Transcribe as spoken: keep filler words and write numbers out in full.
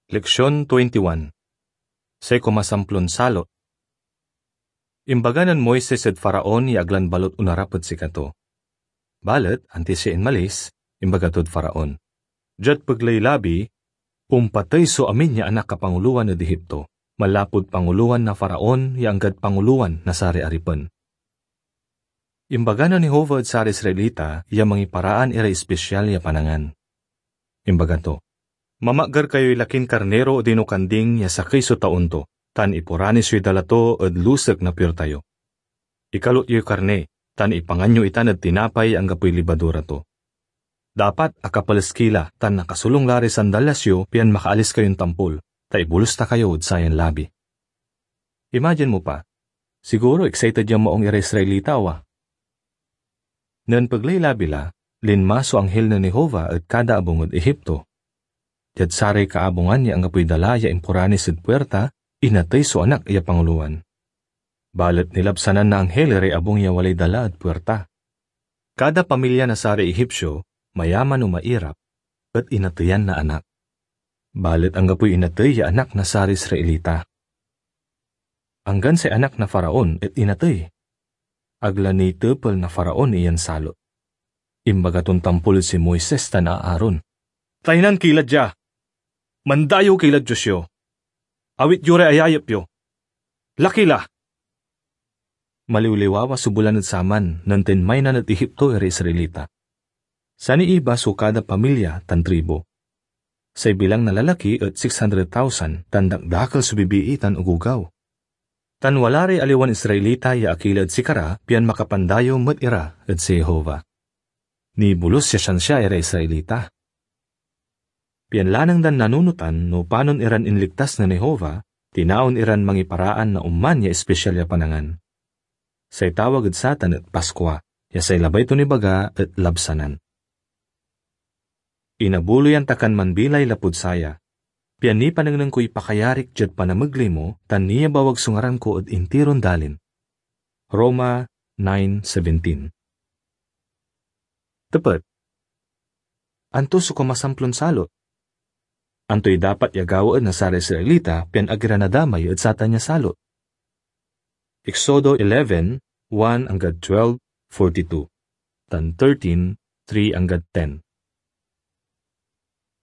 Leksion twenty-one. Say kumasamplon salot. Imbaga nen Moises ed Faraon ya ag lan balot onarap ed sikato. Balet, antis ya inmalis, imbaga tod Faraon, "Diad pegley labi, ompatey so amin ya anak a pangulowan ed Egipto, manlapud pangulowan na Faraon ya anggad pangulowan na saray aripen." Imbaga nen Jehovah ed saray Israelita ya mangiparaan iray ispesial ya panangan. Imbaga to, "Mamaggar kayoy lakin karniro odino kanding ya sakey so taon to, tan ipuranis yoy dala to ed lusek na puirta yo. Ikalot yoy karni, tan ipangan yo itan ed tinapay ya anggapoy libadura to. Dapat akapales ki la tan akasolung la ray sandalyas yo pian makaalis kayon tampol, ta ibolus ta kayo ed sayan labi." Imagine mo pa, siguro excited ya maong iray Israelita, awa. Nen pegley labi la, linma so anghel nen Jehovah ed kada abung ed Egipto. Diad saray kaabungan ya anggapoy dala ya impuranis ed puerta, inatey so anak ya pangulowan. Balet nilabsanan na anghel iray abung ya walay dala ed puerta. Kada pamilya na saray Egipsio, mayaman o mairap, et inateyan na anak. Balet anggapoy inatey ya anak na saray Israelita. Anggan say anak na Faraon et inatey. Ag la nitepel na Faraon iyan salot. Imbaga ton tampol ed si Moises tan Aaron, "Taynan ki la dia! Mandayew ki lad Dios yo! Awit yo ray ayayep yo! Laki la!" Maliwliwawa so bulan ed saman nen tinmaynan ed Egipto iray Israelita. Saniiba so kada pamilya tan tribu. Say bilang na lalaki et six hundred thousand, tan dakdakel so bibii tan ogogaw. Tan wala ray aliwan Israelita ya akila ed sikara, pian makapandayew met ira ed si Jehovah. Nibolus ya siansia iray Israelita. Pian lanang dan nanunotan no panon iran inligtas nen Jehovah, tinaon iran mangiparaan na oman ya ispesial ya panangan. Say tawag ed satan et Paskua, ya say labay ton ibaga et labsanan. Inabuloyan ta kan manbilay lapud saya, pian nipanengneng koy pakayarik diad panamegley mo, tan niyabawag so ngaran ko ed intiron dalin. Roma nine seventeen. Tepet. Anto so kumasamplon salot? Antoy dapat ya gawaen na saray Israelita pian ag ira nadamay ed satan ya salot? Exodo eleven, one anggad twelve forty-two, tan thirteen, three anggad ten.